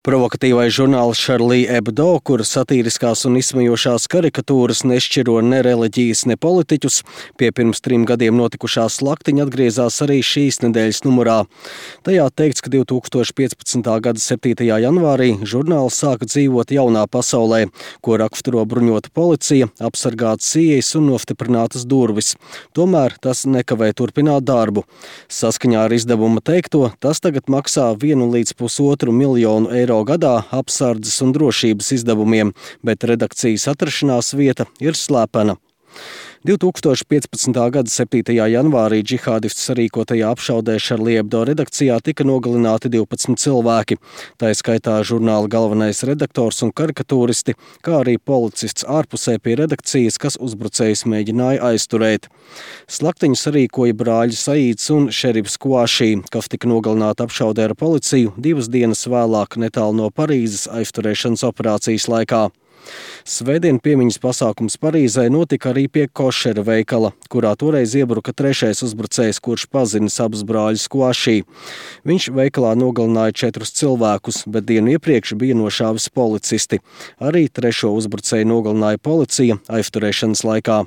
Provokatīvais žurnāls Charlie Hebdo, kur satīriskās un izsmejošās karikatūras nešķiro ne reliģijas, ne politiķus, pie pirms 3 gadiem notikušā slaktiņa atgriezās arī šīs nedēļas numurā. Tajā teikts, ka 2015. gada 7. janvārī žurnāls sāka dzīvot jaunā pasaulē, ko raksturo bruņota policija, apsargātas ieejas un nostiprinātas durvis. Tomēr tas nekavē turpināt darbu. Saskaņā ar izdevuma teikto, tas tagad maksā 1 līdz 1,5 miljonu eiro gadā apsardzes un drošības izdevumiem, bet redakcijas atrašanās vieta ir slepena. 2015. gada 7. janvārī džihādistu sarīkotajā apšaudē Charlie Hebdo redakcijā tika nogalināti 12 cilvēki, tā skaitā žurnāla galvenais redaktors un karikatūristi, kā arī policists ārpusē pie redakcijas, kas uzbrucējus mēģināja aizturēt. Slaktiņu sarīkoja brāļi Saīds un šerifs Kuašī, kas tika nogalināti apšaudē ar policiju 2 dienas vēlāk netālu no Parīzes aizturēšanas operācijas laikā. Svētdien piemiņas pasākums Parīzē notika arī pie košera veikala, kurā toreiz iebruka 3. uzbrucējs, kurš pazinis abus brāļus Kuašī. Viņš veikalā nogalināja 4 cilvēkus, bet dienu iepriekš bija nošāvis policisti. Arī 3. uzbrucēju nogalināja policija aizturēšanas laikā.